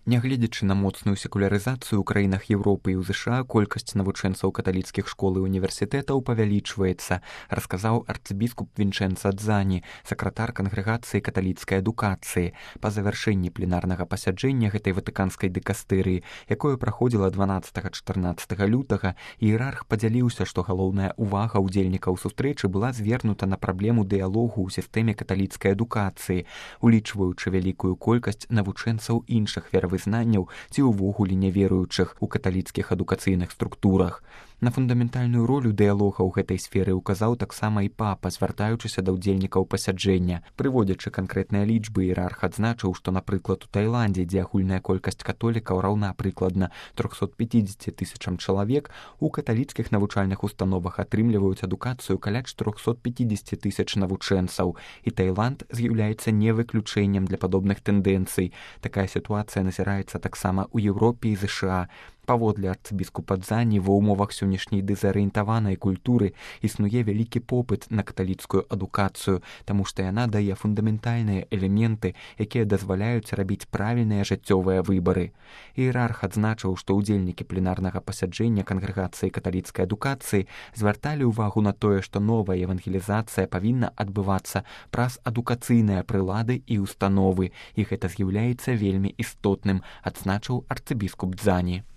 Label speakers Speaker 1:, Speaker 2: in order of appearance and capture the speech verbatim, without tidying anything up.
Speaker 1: Нягледзячы на моцную секулярызацыю ў краінах Еўропы і ў ЗША, колькасць навучэнцаў каталіцкіх школ і універсітэтаў павялічваецца, расказаў арцыбіскуп Вінчэнца Дзані, сакратар кангрэгацыі каталіцкай адукацыі. Па завяршэнні пленарнага пасяджэння гэтай ватыканскай дыкастэрыі, якое праходзіла дванаццатага-чатырнаццатага лютага, іерарх падзяліўся, што галоўная ўвага ўдзельнікаў сустрэчы была звернута на праблему дыялогу ў сістэме каталіцкай адукацыі, улічваючы вялікую колькасць навучэнцаў іншых веравызнанняў знанняў ці ўвогуле няверуючых у каталіцкіх адукацыйных структурах. На фундаментальную ролю дыялога ў гэтай сферы ўказаў таксама і папа, звяртаючыся да ўдзельнікаў пасяджэння. Прыводзячы канкрэтныя лічбы, іерарх адзначыў, што, напрыклад, у Таіландзе, дзе агульная колькасць католікаў раўна прыкладна трохсот пяцідзесяці тысячам чалавек, у каталіцкіх навучальных установах атрымліваюць адукацыю каля чатырохсот пяцідзесяці тысяч навучэнцаў. І Таіланд з'яўляецца не выключэннем для падобных тэндэнцый. Такая сітуацыя назіраецца таксама ў Еўропе і ЗША. Паводле арцыбіскупа Дзані, ва ўмовах сённяшняй дэзарыентаванай культуры існуе вялікі попыт на каталіцкую адукацыю, таму што яна дае фундаментальныя элементы, якія дазваляюць рабіць правільныя жыццёвыя выбары. Іерарх адзначыў, што ўдзельнікі пленарнага пасяджэння кангрэгацыі каталіцкай адукацыі звярталі ўвагу на тое, што новая евангелізацыя павінна адбывацца праз адукацыйныя прылады і установы, і гэта з'яўляецца вельмі істотным, адзначыў арцыбіскуп Дзані.